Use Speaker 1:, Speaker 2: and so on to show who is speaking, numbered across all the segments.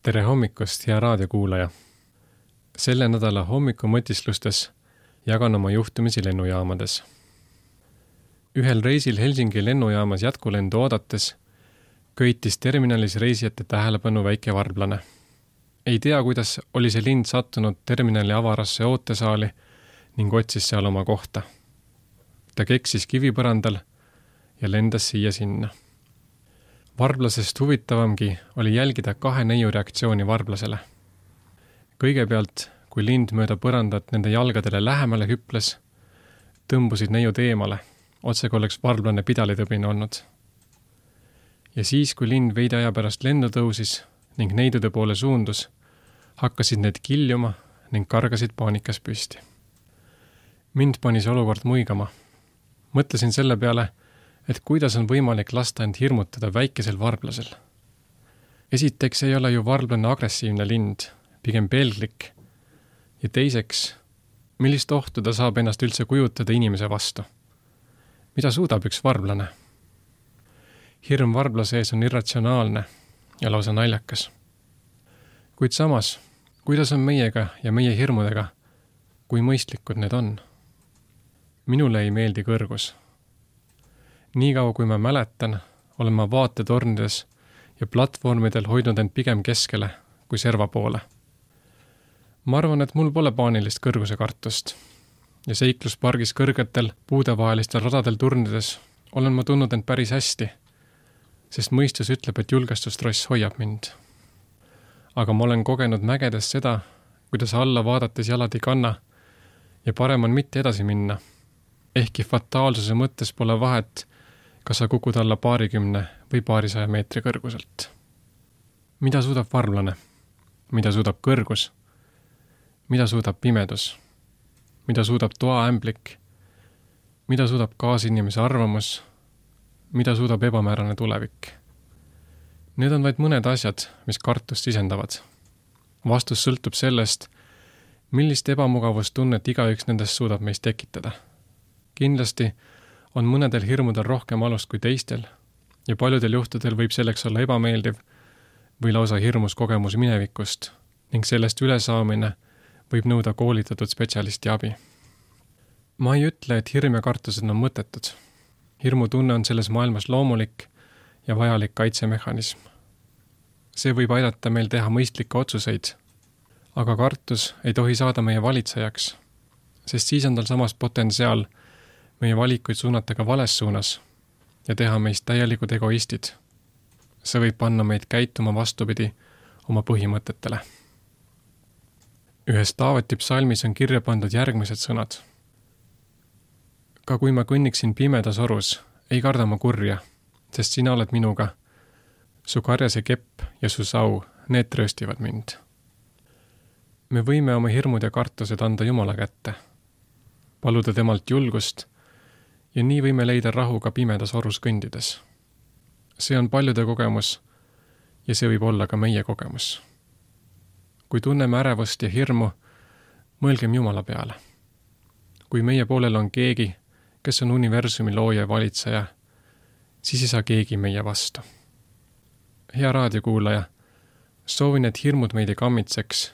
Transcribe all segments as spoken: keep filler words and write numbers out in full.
Speaker 1: Tere hommikust, hea raadiokuulaja! Selle nädala hommikumõtislustes jagan oma juhtumisi lennujaamades. Ühel reisil Helsingi lennujaamas jätkulendu oodates köitis terminalis reisijate tähelepanu väike varblane. Ei tea, kuidas oli see lind sattunud terminali avarasse ootesaali ning otsis seal oma kohta. Ta keksis kivipõrandal ja lendas siia sinna. Varblasest huvitavamgi oli jälgida kahe neiu reaktsiooni varblasele. Kõigepealt, kui lind mööda põrandat nende jalgadele lähemale hüples, tõmbusid neiud eemale, otse kui oleks varblane pidalitõbine olnud. Ja siis, kui lind veidi aja pärast lendu tõusis ning neidude poole suundus, hakkasid need kiljuma ning kargasid paanikas püsti. Mind pani see olukord muigama. Mõtlesin selle peale, et kuidas on võimalik lasta end hirmutada väikesel varblasel. Esiteks ei ole ju varblane agressiivne lind, pigem pelglik. Ja teiseks, millist ohtu ta saab ennast üldse kujutada inimese vastu? Mida suudab üks varblane? Hirm varblase ees on irratsionaalne ja lausa naljakas. Kuid samas, kuidas on meiega ja meie hirmudega, kui mõistlikud need on? Minule ei meeldi kõrgus. Nii kaua, kui ma mäletan, olen ma vaatetornides ja platvormidel hoidnud end pigem keskele kui serva poole. Ma arvan, et mul pole paanilist kõrguse kartust ja seikluspargis kõrgetel puudevahelistel radadel turnides olen ma tundnud end päris hästi, sest mõistus ütleb, et julgestustross hoiab mind. Aga ma olen kogenud mägedes seda, kuidas alla vaadates jalad ei kanna ja parem on mitte edasi minna, ehkki fataalsuse mõttes pole vahet, kas sa kukud alla paarikümne või paarisaja meetri kõrguselt. Mida suudab varblane? Mida suudab kõrgus? Mida suudab pimedus? Mida suudab toaämblik? Mida suudab kaasinimese arvamus? Mida suudab ebamäärane tulevik? Need on vaid mõned asjad, mis kartust sisendavad. Vastus sõltub sellest, millist ebamugavustunnet igaüks nendest suudab meist tekitada. Kindlasti on mõnedel hirmudel rohkem alust kui teistel ja paljudel juhtudel võib selleks olla ebameeldiv või lausa hirmus kogemus minevikust ning sellest ülesaamine võib nõuda koolitatud spetsialisti abi. Ma ei ütle, et hirm ja kartused on mõttetud. Hirmutunne on selles maailmas loomulik ja vajalik kaitsemehhanism. See võib aidata meil teha mõistlikke otsuseid, aga kartus ei tohi saada meie valitsejaks, sest siis on tal samas potentsiaal meie valikuid suunata ka vales suunas ja teha meist täielikud egoistid. See võib panna meid käituma vastupidi oma põhimõtetele. Ühes Taaveti psalmis on kirja pandud järgmised sõnad. Ka kui ma kõnniksin pimedas orus, ei karda ma kurja, sest sina oled minuga. Su karjase kepp ja su sau, need trööstivad mind. Me võime oma hirmud ja kartused anda Jumala kätte, paluda temalt julgust ja nii võime leida rahu ka pimedas orus kõndides. See on paljude kogemus ja see võib olla ka meie kogemus. Kui tunneme ärevust ja hirmu, mõelgem Jumala peale. Kui meie poolel on keegi, kes on universumi looja ja valitseja, siis ei saa keegi meie vastu. Hea raadiokuulaja, soovin, et hirmud meid ei kammitseks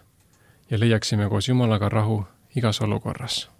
Speaker 1: ja leiaksime koos Jumalaga rahu igas olukorras.